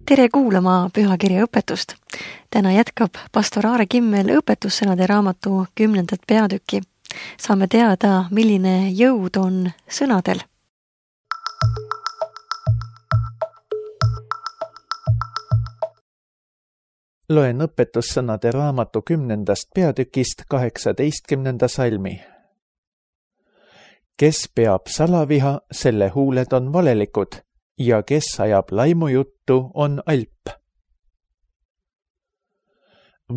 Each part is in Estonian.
Tere kuulama pühakirja õpetust. Täna jätkab pastor Aare Kimmel õpetussõnade raamatu 10. peatükki. Saame teada, milline jõud on sõnadel. Loen õpetussõnade raamatu 10. peatükist 18. salmi. Kes peab salaviha, selle huuled on valelikud, ja kes ajab laimujuttu, on alp.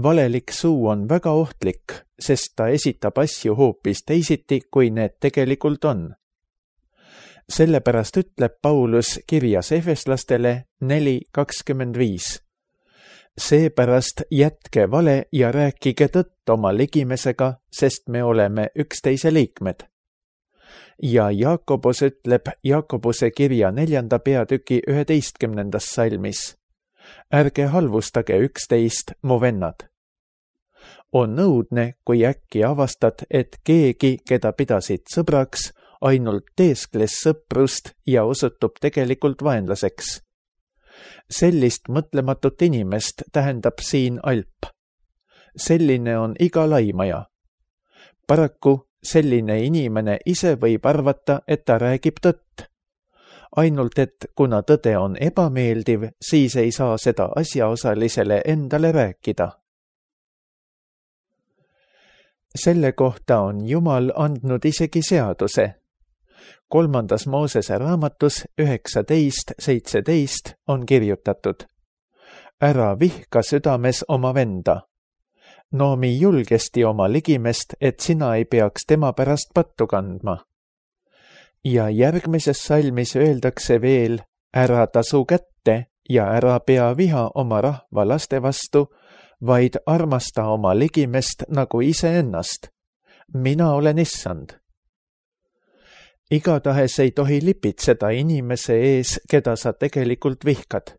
Valelik suu on väga ohtlik, sest ta esitab asju hoopis teisiti, kui need tegelikult on. Sellepärast ütleb Paulus kirjas Efeslastele 4:25. Seepärast jätke vale ja rääkige tõtt oma ligimesega, sest me oleme üksteise liikmed. Ja Jaakobus ütleb Jaakobuse kirja 4. peatüki 11. salmis. Ärge halvustage üksteist, mu vennad. On õudne, kui äkki avastad, et keegi, keda pidasid sõbraks, ainult teeskles sõprust ja osutub tegelikult vaenlaseks. Sellist mõtlematut inimest tähendab siin alp. Selline on iga laimaja. Paraku selline inimene ise võib arvata, et ta räägib tõtt. Ainult et kuna tõde on ebameeldiv, siis ei saa seda asjaosalisele endale rääkida. Selle kohta on Jumal andnud isegi seaduse. 3. Moosese raamatus 19:17 on kirjutatud: Ära vihka südames oma venda. Noomi julgesti oma ligimest, et sina ei peaks tema pärast pattu kandma. Ja järgmises salmis öeldakse veel: Ära tasu kätte ja ära pea viha oma rahva laste vastu, vaid armasta oma ligimest nagu iseennast. Mina olen issand. Igatahes ei tohi lipitseda inimese ees, keda sa tegelikult vihkad,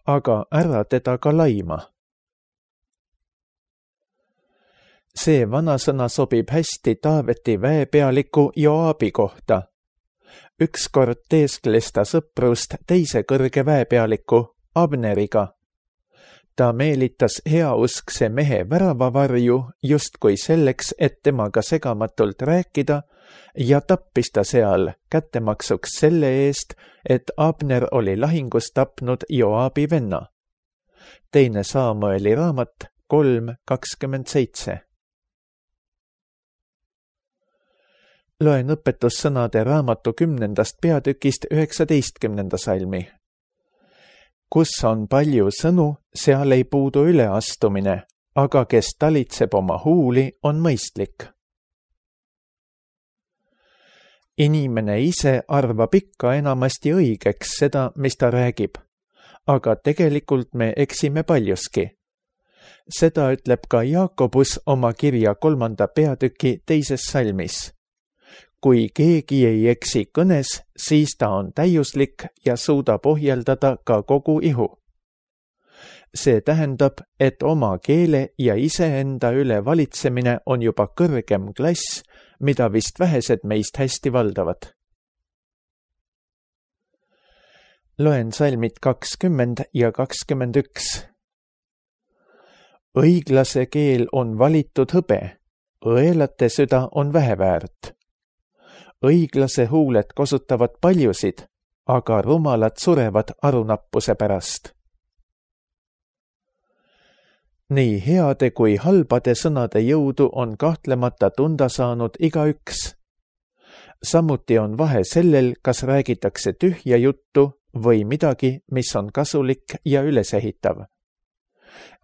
aga ära teda ka laima. See vanasõna sobib hästi Taaveti väepealiku Joabi kohta. Ükskord teeskles ta sõprust teise kõrge väepealiku Abneriga. Ta meelitas heauskse mehe väravavarju justkui selleks, et temaga segamatult rääkida, ja tappis ta seal kättemaksuks selle eest, et Abner oli lahingus tapnud Joabi venna. 2. Saamueli raamat 3:27. Loen õpetussõnade raamatu 10. peatükist 19. salmi. Kus on palju sõnu, seal ei puudu üleastumine, aga kes talitseb oma huuli, on mõistlik. Inimene ise arvab ikka enamasti õigeks seda, mis ta räägib, aga tegelikult me eksime paljuski. Seda ütleb ka Jaakobus oma kirja 3. peatüki 2. salmis. Kui keegi ei eksi kõnes, siis ta on täiuslik ja suudab ohjeldada ka kogu ihu. See tähendab, et oma keele ja iseenda üle valitsemine on juba kõrgem klass, mida vist vähesed meist hästi valdavad. Loen salmid 20 ja 21. Õiglase keel on valitud hõbe, õelate süda on väheväärt. Õiglase huuled kosutavad paljusid, aga rumalad surevad arunappuse pärast. Nii heade kui halbade sõnade jõudu on kahtlemata tunda saanud igaüks. Samuti on vahe sellel, kas räägitakse tühja juttu või midagi, mis on kasulik ja ülesehitav.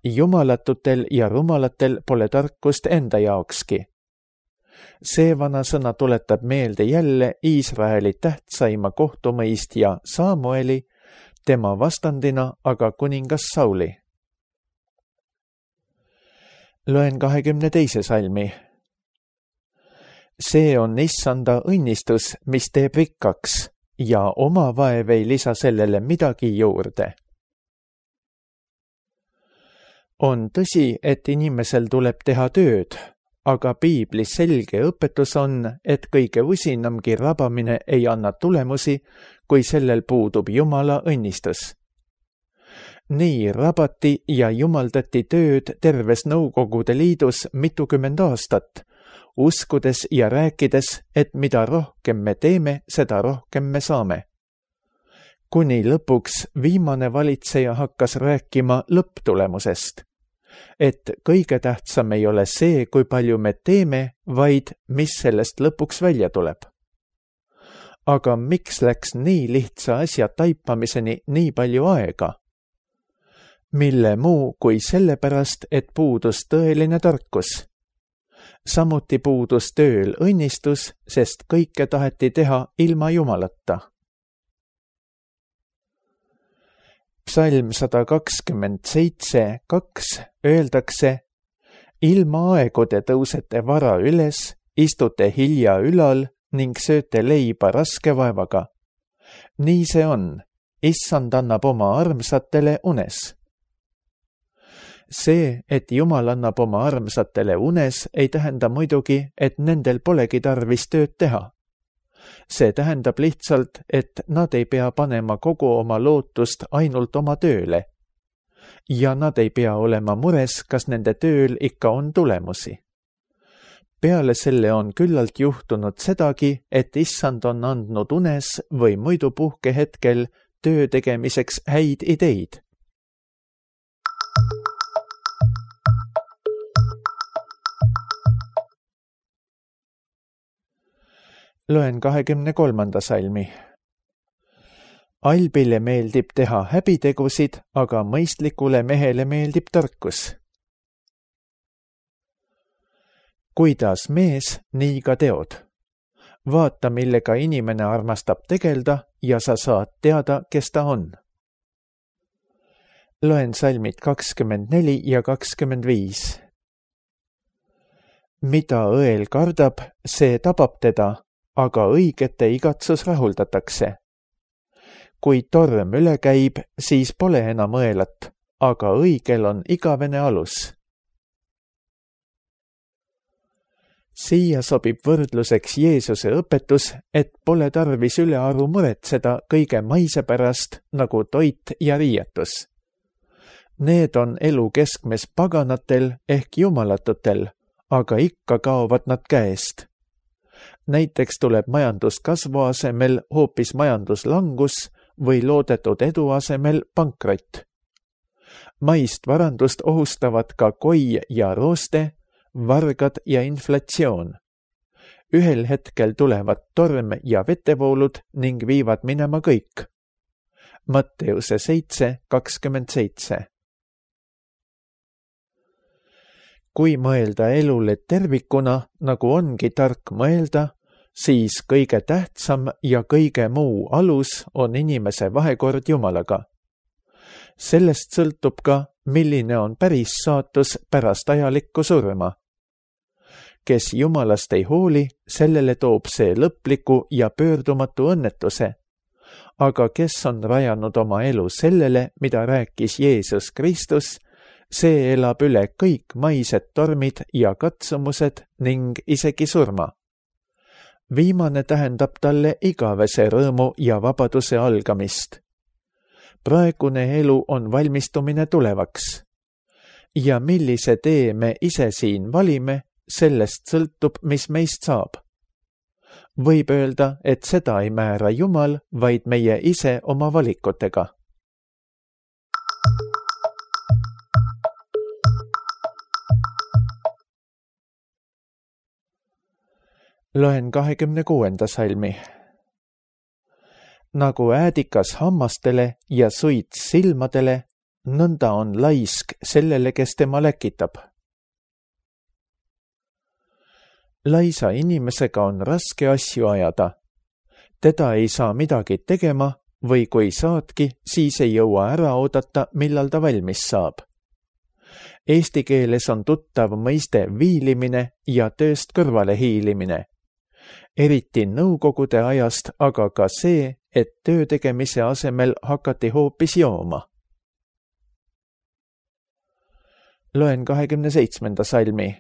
Jumalatutel ja rumalatel pole tarkust enda jaokski. See vanasõna tuletab meelde jälle Iisraeli tähtsaima kohtumõistja Samueli, tema vastandina aga kuningas Sauli. Loen 22. salmi. See on issanda õnnistus, mis teeb rikkaks, ja oma vaev ei lisa sellele midagi juurde. On tõsi, et inimesel tuleb teha tööd, aga piiblis selge õpetus on, et kõige usinamgi rabamine ei anna tulemusi, kui sellel puudub Jumala õnnistus. Nii rabati ja jumaldati tööd terves Nõukogude Liidus mitukümmend aastat, uskudes ja rääkides, et mida rohkem me teeme, seda rohkem me saame. Kuni lõpuks viimane valitseja hakkas rääkima lõpptulemusest, et kõige tähtsam ei ole see, kui palju me teeme, vaid mis sellest lõpuks välja tuleb. Aga miks läks nii lihtsa asja taipamiseni nii palju aega? Mille muu kui sellepärast, et puudus tõeline tarkus. Samuti puudus tööl õnnistus, sest kõike taheti teha ilma Jumalata. Psalm 127:2 öeldakse: ilma aegude tõusete vara üles, istute hilja ülal ning sööte leiba raske vaevaga. Nii see on, Issand annab oma armsatele unes. See, et Jumal annab oma armsatele unes, ei tähenda muidugi, et nendel polegi tarvis tööd teha. See tähendab lihtsalt, et nad ei pea panema kogu oma lootust ainult oma tööle. Ja nad ei pea olema mures, kas nende tööl ikka on tulemusi. Peale selle on küllalt juhtunud sedagi, et Issand on andnud unes või muidu puhkehetkel töö tegemiseks häid ideid. Loen 23. salmi. Albile meeldib teha häbitegusid, aga mõistlikule mehele meeldib tarkus. Kuidas mees, nii ka teod. Vaata, millega inimene armastab tegelda ja sa saad teada, kes ta on. Loen salmid 24 ja 25. Mida õel kardab, see tabab teda, aga õigete igatsus rahuldatakse. Kui torm üle käib, siis pole enam õelat, aga õigel on igavene alus. Siia sobib võrdluseks Jeesuse õpetus, et pole tarvis ülearu muretseda kõige maise pärast, nagu toit ja riietus. Need on elu keskmes paganatel ehk jumalatutel, aga ikka kaovad nad käest. Näiteks tuleb majanduskasvu asemel hoopis majanduslangus või loodetud edu asemel pankrott. Maist varandust ohustavad ka koi ja rooste, vargad ja inflatsioon. Ühel hetkel tulevad torm ja vetevoolud ning viivad minema kõik. Matteuse 7:27. Kui mõelda elule tervikuna, nagu ongi tark mõelda, siis kõige tähtsam ja kõige muu alus on inimese vahekord Jumalaga. Sellest sõltub ka, milline on päris saatus pärast ajalikku surma. Kes Jumalast ei hooli, sellele toob see lõpliku ja pöördumatu õnnetuse. Aga kes on rajanud oma elu sellele, mida rääkis Jeesus Kristus, see elab üle kõik maised tormid ja katsumused ning isegi surma. Viimane tähendab talle igavese rõõmu ja vabaduse algamist. Praegune elu on valmistumine tulevaks. Ja millise tee me ise siin valime, sellest sõltub, mis meist saab. Võib öelda, et seda ei määra Jumal, vaid meie ise oma valikutega. Loen 26. salmi. Nagu äädikas hammastele ja suits silmadele, nõnda on laisk sellele, kes tema läkitab. Laisa inimesega on raske asju ajada. Teda ei saa midagi tegema või kui saadki, siis ei jõua ära oodata, millal ta valmis saab. Eesti keeles on tuttav mõiste viilimine ja tööst kõrvale hiilimine. Eriti nõukogude ajast, aga ka see, et töö tegemise asemel hakati hoopis jooma. Loen 27. salmi.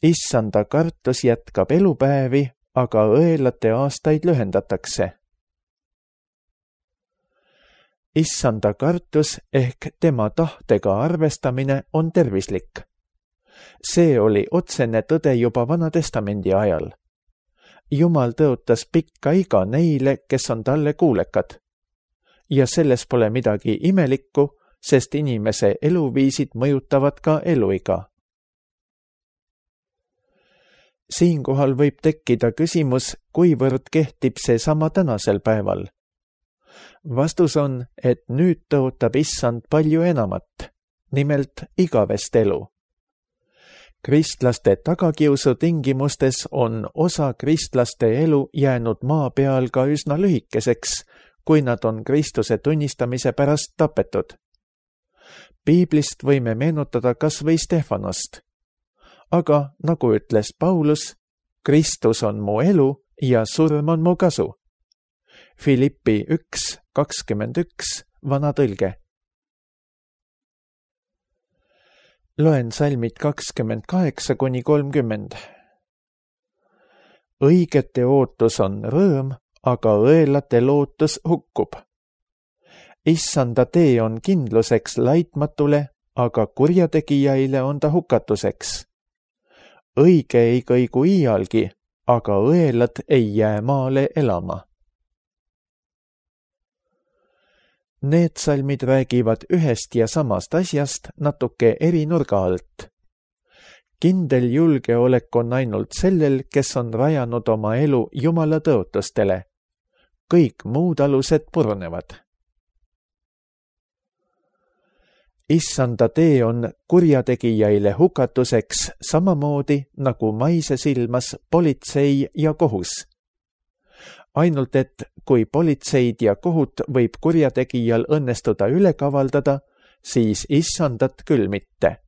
Issanda kartus jätkab elupäevi, aga õelate aastaid lühendatakse. Issanda kartus ehk tema tahtega arvestamine on tervislik. See oli otsene tõde juba Vana Testamendi ajal. Jumal tõotas pikka iga neile, kes on talle kuulekad. Ja selles pole midagi imelikku, sest inimese eluviisid mõjutavad ka eluiga. Siinkohal võib tekkida küsimus, kuivõrd kehtib see sama tänasel päeval. Vastus on, et nüüd tõotab Issand palju enamat, nimelt igavest elu. Kristlaste tagakiusu tingimustes on osa kristlaste elu jäänud maa peal ka üsna lühikeseks, kui nad on Kristuse tunnistamise pärast tapetud. Piiblist võime meenutada kas või Stefanost. Aga nagu ütles Paulus, Kristus on mu elu ja surm on mu kasu. Filippi 1:21, vana tõlge. Loen salmid 28-30. Õigete ootus on rõõm, aga õelate lootus hukkub. Issanda tee on kindluseks laitmatule, aga kurjategijaile on ta hukatuseks. Õige ei kõigu iialgi, aga õelad ei jää maale elama. Need salmid räägivad ühest ja samast asjast natuke eri nurga alt. Kindel julgeolek on ainult sellel, kes on rajanud oma elu Jumala tõotustele. Kõik muud alused purunevad. Issanda tee on kurjategijaile hukatuseks samamoodi nagu maises ilmas politsei ja kohus. Ainult et kui politseid ja kohut võib kurjategijal õnnestuda üle kavaldada, siis Issandat küll mitte.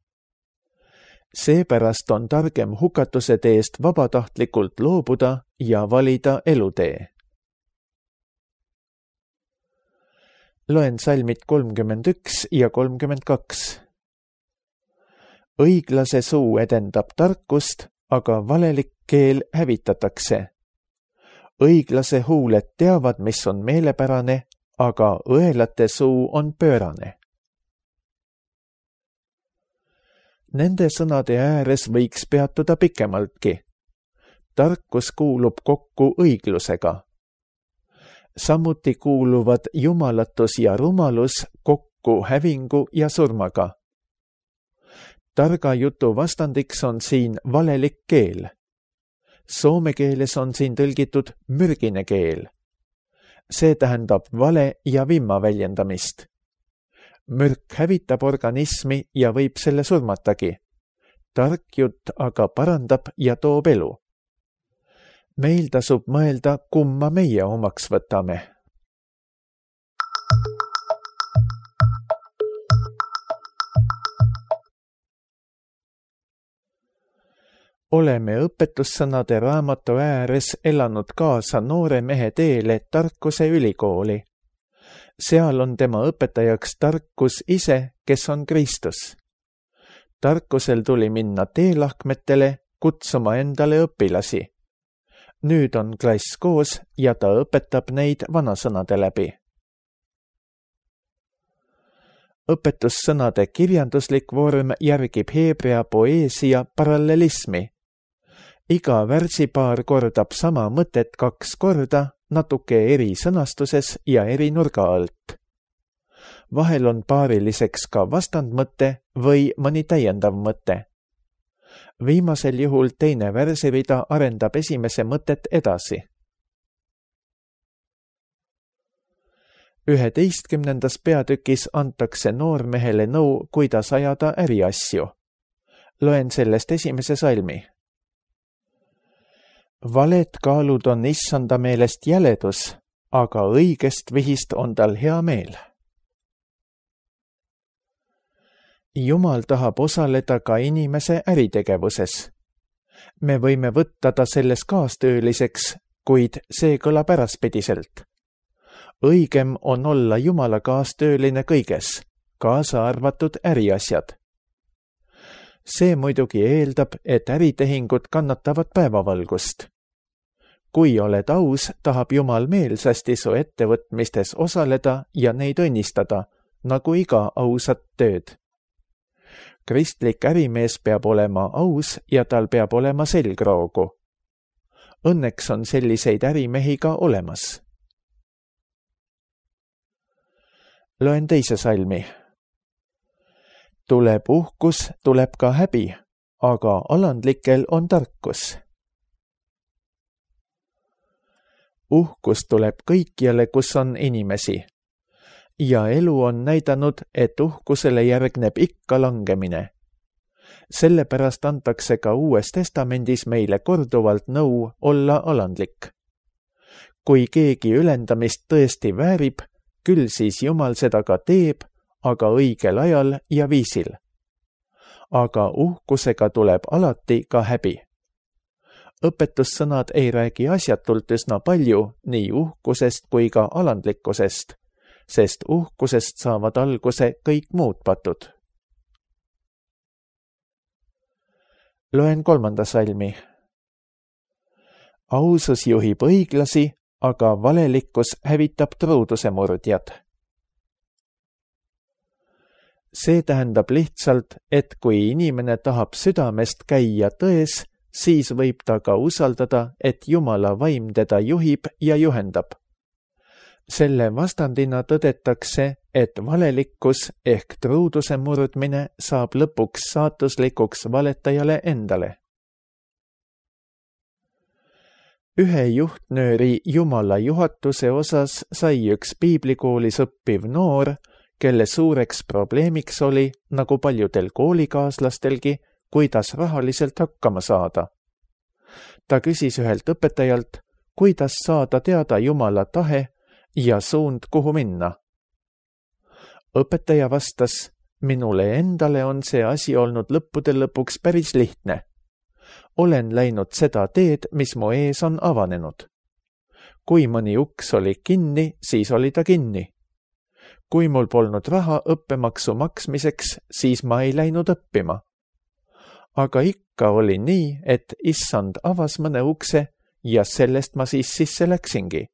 Seepärast on targem hukatuse teest vabatahtlikult loobuda ja valida elutee. Loen salmid 31 ja 32. Õiglase suu edendab tarkust, aga valelik keel hävitatakse. Õiglase huuled teavad, mis on meelepärane, aga õelate suu on pöörane. Nende sõnade ääres võiks peatuda pikemaltki. Tarkus kuulub kokku õiglusega. Samuti kuuluvad jumalatus ja rumalus kokku hävingu ja surmaga. Targa jutu vastandiks on siin valelik keel. Soome keeles on siin tõlgitud mürgine keel. See tähendab vale ja vimma väljendamist. Mürk hävitab organismi ja võib selle surmatagi. Tark jutt aga parandab ja toob elu. Meil tasub mõelda, kumma meie omaks võtame. Oleme õpetussõnade raamatu ääres elanud kaasa noore mehe teele tarkuse ülikooli. Seal on tema õpetajaks tarkus ise, kes on Kristus. Tarkusel tuli minna teelahkmetele, kutsuma endale õpilasi. Nüüd on klass koos ja ta õpetab neid vanasõnade läbi. Õpetussõnade kirjanduslik vorm järgib heebrea poeesia parallelismi. Iga värsipaar kordab sama mõtet 2 korda, natuke eri sõnastuses ja eri nurga alt. Vahel on paariliseks ka vastandmõte või mõni täiendav mõte. Viimasel juhul teine värsirida arendab esimese mõtet edasi. 11. peatükis antakse noormehele nõu, kuidas ajada äriasju. Loen sellest esimese salmi. Valed kaalud on Issanda meelest jäledus, aga õigest vihist on tal hea meel. Jumal tahab osaleda ka inimese äritegevuses. Me võime võtta ta selles kaastööliseks, kuid see kõlab äraspidiselt. Õigem on olla Jumala kaastööline kõiges, kaasa arvatud äriasjad. See muidugi eeldab, et äritehingud kannatavad päevavalgust. Kui oled aus, tahab Jumal meelsasti su ettevõtmistes osaleda ja neid õnnistada, nagu iga ausat tööd. Kristlik ärimees peab olema aus ja tal peab olema selgroogu. Õnneks on selliseid ärimehi ka olemas. Loen teise salmi. Tuleb uhkus, tuleb ka häbi, aga alandlikel on tarkus. Uhkus tuleb kõikjale, kus on inimesi. Ja elu on näidanud, et uhkusele järgneb ikka langemine. Sellepärast antakse ka Uues Testamendis meile korduvalt nõu olla alandlik. Kui keegi ülendamist tõesti väärib, küll siis Jumal seda ka teeb, aga õigel ajal ja viisil. Aga uhkusega tuleb alati ka häbi. Õpetussõnad ei räägi asjatult üsna palju nii uhkusest kui ka alandlikkusest, sest uhkusest saavad alguse kõik muud patud. Loen 3. salmi. Ausus juhib õiglasi, aga valelikkus hävitab truuduse murdjad. See tähendab lihtsalt, et kui inimene tahab südamest käia tões, siis võib ta ka usaldada, et Jumala vaim teda juhib ja juhendab. Selle vastandina tõdetakse, et valelikkus ehk truuduse murdmine saab lõpuks saatuslikuks valetajale endale. Ühe juhtnööri Jumala juhatuse osas sai üks piiblikoolis õppiv noor, kelle suureks probleemiks oli, nagu paljudel koolikaaslastelgi, kuidas rahaliselt hakkama saada. Ta küsis ühelt õpetajalt, kuidas saada teada Jumala tahe ja suund, kuhu minna. Õpetaja vastas, minule endale on see asi olnud lõppude lõpuks päris lihtne. Olen läinud seda teed, mis mu ees on avanenud. Kui mõni uks oli kinni, siis oli ta kinni. Kui mul polnud raha õppemaksu maksmiseks, siis ma ei läinud õppima. Aga ikka oli nii, et issand avas mõne ukse ja sellest ma siis sisse läksingi.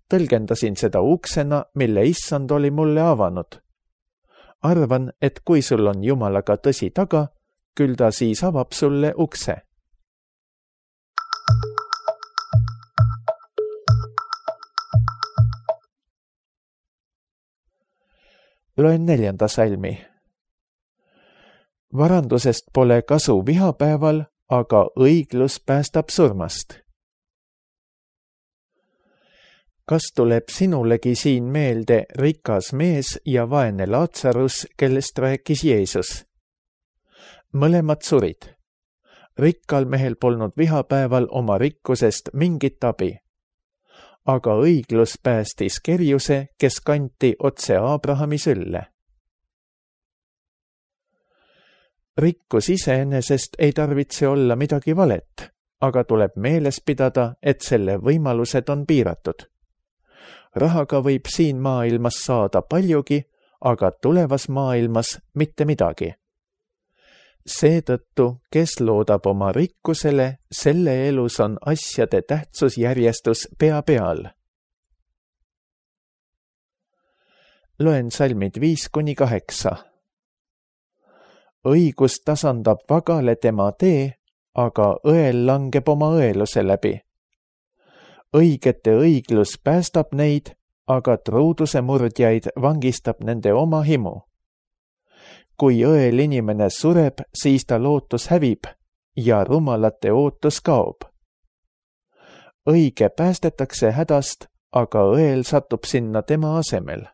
Tõlgendasin seda uksena, mille issand oli mulle avanud. Arvan, et kui sul on Jumalaga tõsi taga, küll ta siis avab sulle ukse. Loen 4. salmi. Varandusest pole kasu vihapäeval, aga õiglus päästab surmast. Kas tuleb sinulegi siin meelde rikas mees ja vaene Laatsarus, kellest rääkis Jeesus? Mõlemad surid. Rikkal mehel polnud vihapäeval oma rikkusest mingit abi. Aga õiglus päästis kerjuse, kes kanti otse Abrahami sülle. Rikkus iseenesest ei tarvitse olla midagi valet, aga tuleb meeles pidada, et selle võimalused on piiratud. Rahaga võib siin maailmas saada paljugi, aga tulevas maailmas mitte midagi. Seetõttu, kes loodab oma rikkusele, selle elus on asjade tähtsusjärjestus pea peal. Loen salmid 5-8. Õigus tasandab vagale tema tee, aga õel langeb oma õeluse läbi. Õigete õiglus päästab neid, aga truuduse murdjaid vangistab nende oma himu. Kui õel inimene sureb, siis ta lootus hävib ja rumalate ootus kaob. Õige päästetakse hädast, aga õel satub sinna tema asemel.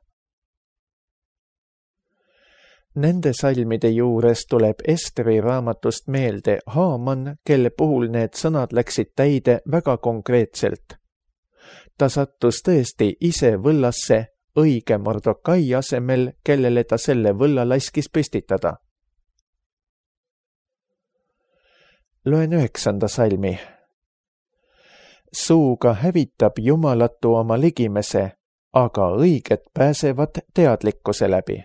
Nende salmide juures tuleb Esteri raamatust meelde Haaman, kelle puhul need sõnad läksid täide väga konkreetselt. Ta sattus tõesti ise võllasse õige Mordokai asemel, kellele ta selle võlla laskis püstitada. Loen 9. salmi. Suuga hävitab jumalatu oma ligimese, aga õiged pääsevad teadlikkuse läbi.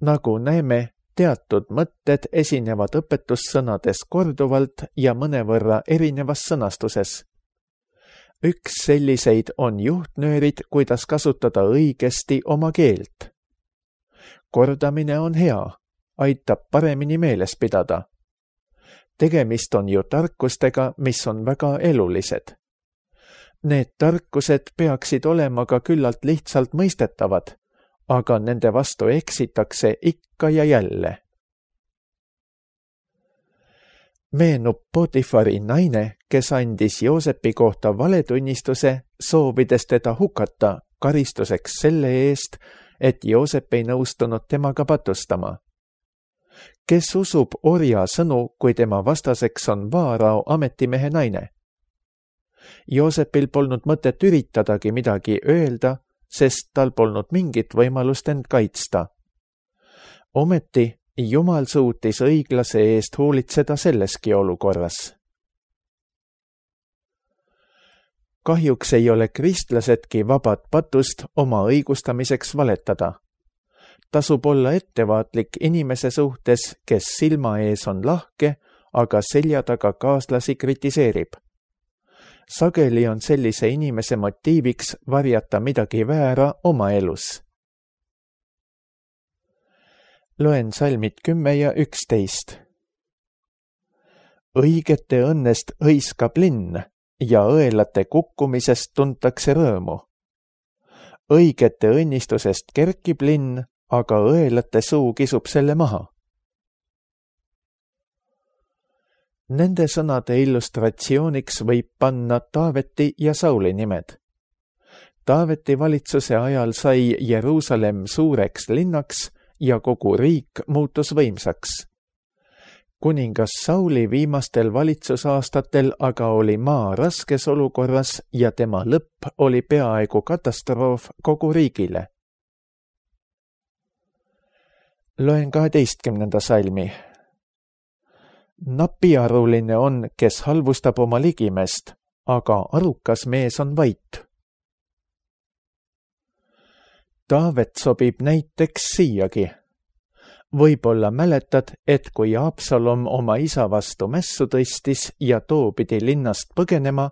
Nagu näeme, teatud mõtted esinevad õpetussõnades korduvalt ja mõnevõrra erinevas sõnastuses. Üks selliseid on juhtnöörid, kuidas kasutada õigesti oma keelt. Kordamine on hea, aitab paremini meeles pidada. Tegemist on ju tarkustega, mis on väga elulised. Need tarkused peaksid olema ka küllalt lihtsalt mõistetavad, aga nende vastu eksitakse ikka ja jälle. Meenub Potifari naine, kes andis Joosepi kohta valetunnistuse, soovides teda hukata karistuseks selle eest, et Joosep ei nõustunud temaga patustama. Kes usub orja sõnu, kui tema vastaseks on Vaarao ametimehe naine? Joosepil polnud mõtet üritadagi midagi öelda, sest tal polnud mingit võimalust end kaitsta. Ometi Jumal suutis õiglase eest hoolitseda selleski olukorras. Kahjuks ei ole kristlasedki vabad patust oma õigustamiseks valetada. Tasub olla ettevaatlik inimese suhtes, kes silma ees on lahke, aga selja taga kaaslasi kritiseerib. Sageli on sellise inimese motiiviks varjata midagi väära oma elus. Loen salmid 10 ja 11. Õigete õnnest hõiskab linn ja õelate kukkumisest tuntakse rõõmu. Õigete õnnistusest kerkib linn, aga õelate suu kisub selle maha. Nende sõnade illustratsiooniks võib panna Taaveti ja Sauli nimed. Taaveti valitsuse ajal sai Jeruusalemm suureks linnaks ja kogu riik muutus võimsaks. Kuningas Sauli viimastel valitsusaastatel aga oli maa raskes olukorras ja tema lõpp oli peaaegu katastroof kogu riigile. Loen 12. salmi. Napiaruline on, kes halvustab oma ligimest, aga arukas mees on vait. Taavet sobib näiteks siiagi. Võib-olla mäletad, et kui Absalom oma isa vastu mässu tõstis ja too pidi linnast põgenema,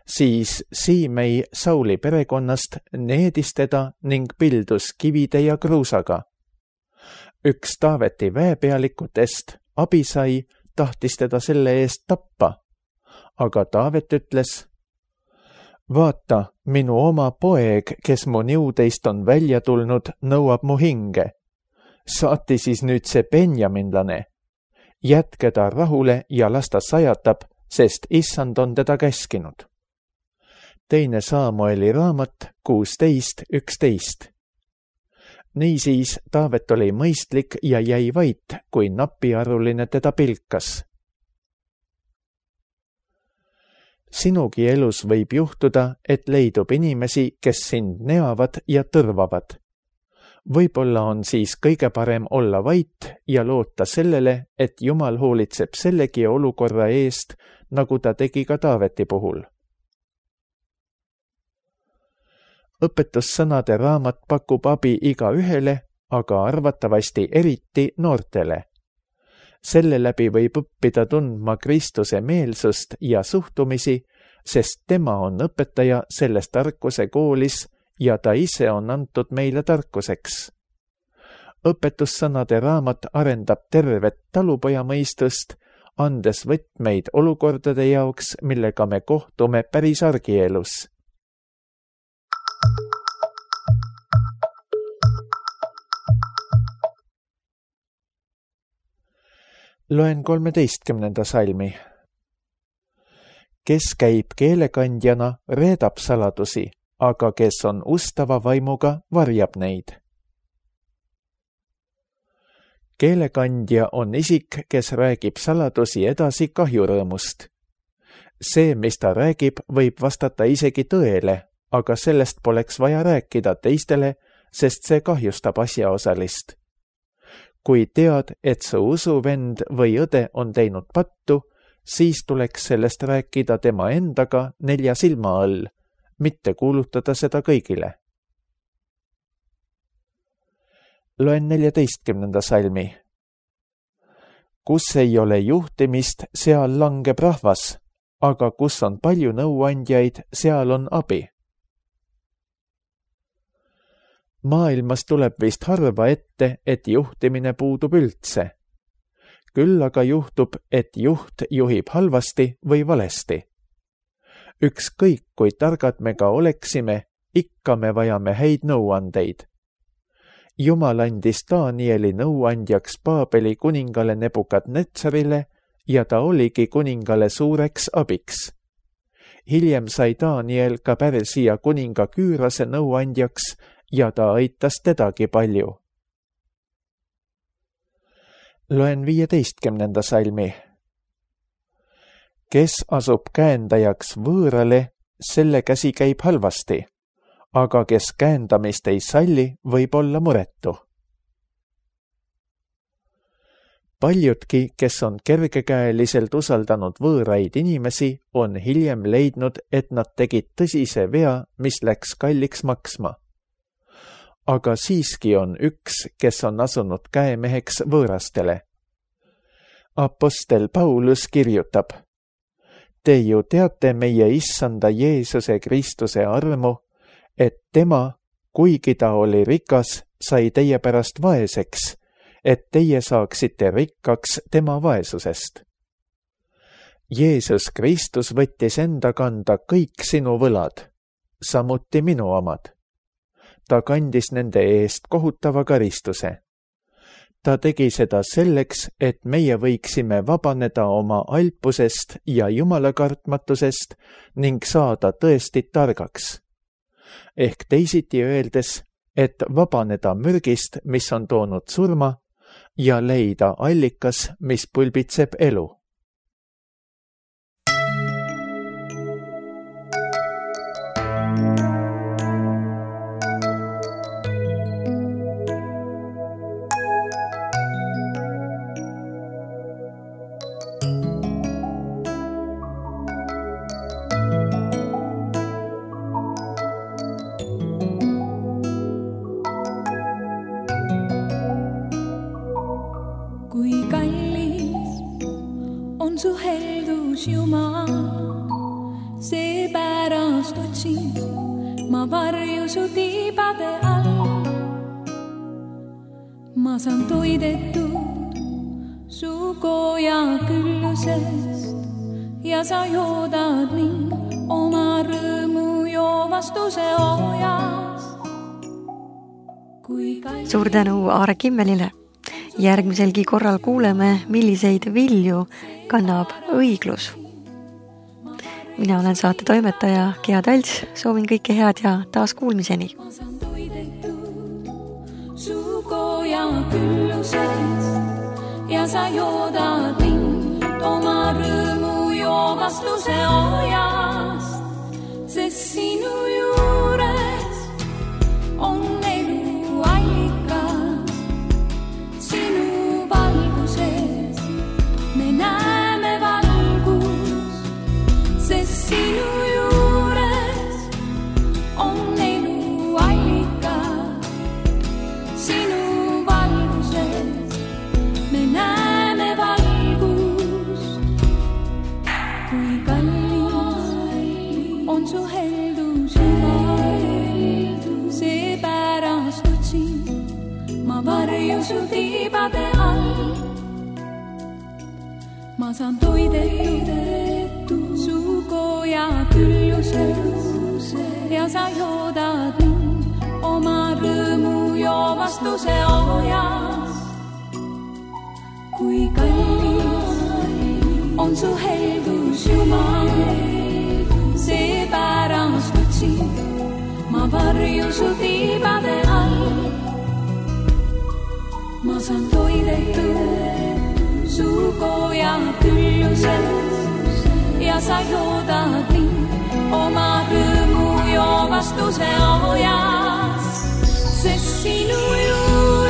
siis Siimei Sauli perekonnast needis teda ning pildus kivide ja kruusaga. Üks Taaveti väepealikutest, Abisai, tahtis teda selle eest tappa, aga Taavet ütles: vaata, minu oma poeg, kes mu niudeist on välja tulnud, nõuab mu hinge. Saati siis nüüd see benjaminlane. Jätke ta rahule ja las ta sajatab, sest issand on teda käskinud. 2 Saamueli raamat 16:11. Niisiis Taavet oli mõistlik ja jäi vait, kui napiaruline teda pilkas. Sinugi elus võib juhtuda, et leidub inimesi, kes sind neavad ja tõrvavad. Võib-olla on siis kõige parem olla vait ja loota sellele, et Jumal hoolitseb sellegi olukorra eest, nagu ta tegi ka Taaveti puhul. Õpetussõnade raamat pakub abi igaühele, aga arvatavasti eriti noortele. Selle läbi võib õppida tundma Kristuse meelsust ja suhtumisi, sest tema on õpetaja selles tarkuse koolis ja ta ise on antud meile tarkuseks. Õpetussõnade raamat arendab tervet talupojamõistust, andes võtmeid olukordade jaoks, millega me kohtume päris argielus. Loen 13. salmi. Kes käib keelekandjana, reedab saladusi, aga kes on ustava vaimuga, varjab neid. Keelekandja on isik, kes räägib saladusi edasi kahjurõõmust. See, mis ta räägib, võib vastata isegi tõele, aga sellest poleks vaja rääkida teistele, sest see kahjustab asjaosalist. Kui tead, et su usuvend või õde on teinud pattu, siis tuleks sellest rääkida tema endaga 4 silma all, mitte kuulutada seda kõigile. Loen 14. salmi. Kus ei ole juhtimist, seal langeb rahvas, aga kus on palju nõuandjaid, seal on abi. Maailmas tuleb vist harva ette, et juhtimine puudub üldse. Küll aga juhtub, et juht juhib halvasti või valesti. Ükskõik, kui targad me ka oleksime, ikka me vajame häid nõuandeid. Jumal andis Danieli nõuandjaks Paabeli kuningale Nebukadnetsarile ja ta oligi kuningale suureks abiks. Hiljem sai Daniel ka Pärsia kuninga Küürase nõuandjaks ja ta aitas tedagi palju. Loen 15. salmi. Kes asub käendajaks võõrale, selle käsi käib halvasti, aga kes käendamist ei salli, võib olla muretu. Paljudki, kes on kergekäeliselt usaldanud võõraid inimesi, on hiljem leidnud, et nad tegid tõsise vea, mis läks kalliks maksma. Aga siiski on üks, kes on asunud käemeheks võõrastele. Apostel Paulus kirjutab: Te ju teate meie issanda Jeesuse Kristuse armu, et tema, kuigi ta oli rikas, sai teie pärast vaeseks, et teie saaksite rikkaks tema vaesusest. Jeesus Kristus võttis enda kanda kõik sinu võlad, samuti minu omad. Ta kandis nende eest kohutava karistuse. Ta tegi seda selleks, et meie võiksime vabaneda oma alpusest ja jumalakartmatusest ning saada tõesti targaks. Ehk teisiti öeldes, et vabaneda mürgist, mis on toonud surma, ja leida allikas, mis pulbitseb elu. Kui kallis on su heldus, Jumal, seepärast otsin ma varju su tiibade all. Ma saan toidetud su koja küllusest ja sa joodad mind oma rõõmu joovastuse ojast. Suur tänu Aare Kimmelile. Järgmiselgi korral kuuleme, milliseid vilju kannab õiglus. Mina olen saate toimetaja Gea Talts, soovin kõike head ja taas kuulmiseni. Ma saan toidetud su koja küllusest ja sa joodad mind oma rõõmu joovastuse ojast, sest sinu juures on elu allikas. Sinu valguses me näeme valgust, sest sinu juures on elu allikas. Sinu valguses me näeme valgust. Kui kallis on su heldus, seepärast otsin ma varju su tiibade all. Ma saan toidetud su koja küllusest ja sa joodad mind oma rõõmu joovastuse ojast. Kui kallis on su heldus, Jumal, seepärast otsin ma varju su tiibade all. Ma saan toidetud su koja küllusest ja sa joodad mind oma rõõmu joovastuse ojast, sest sinu juures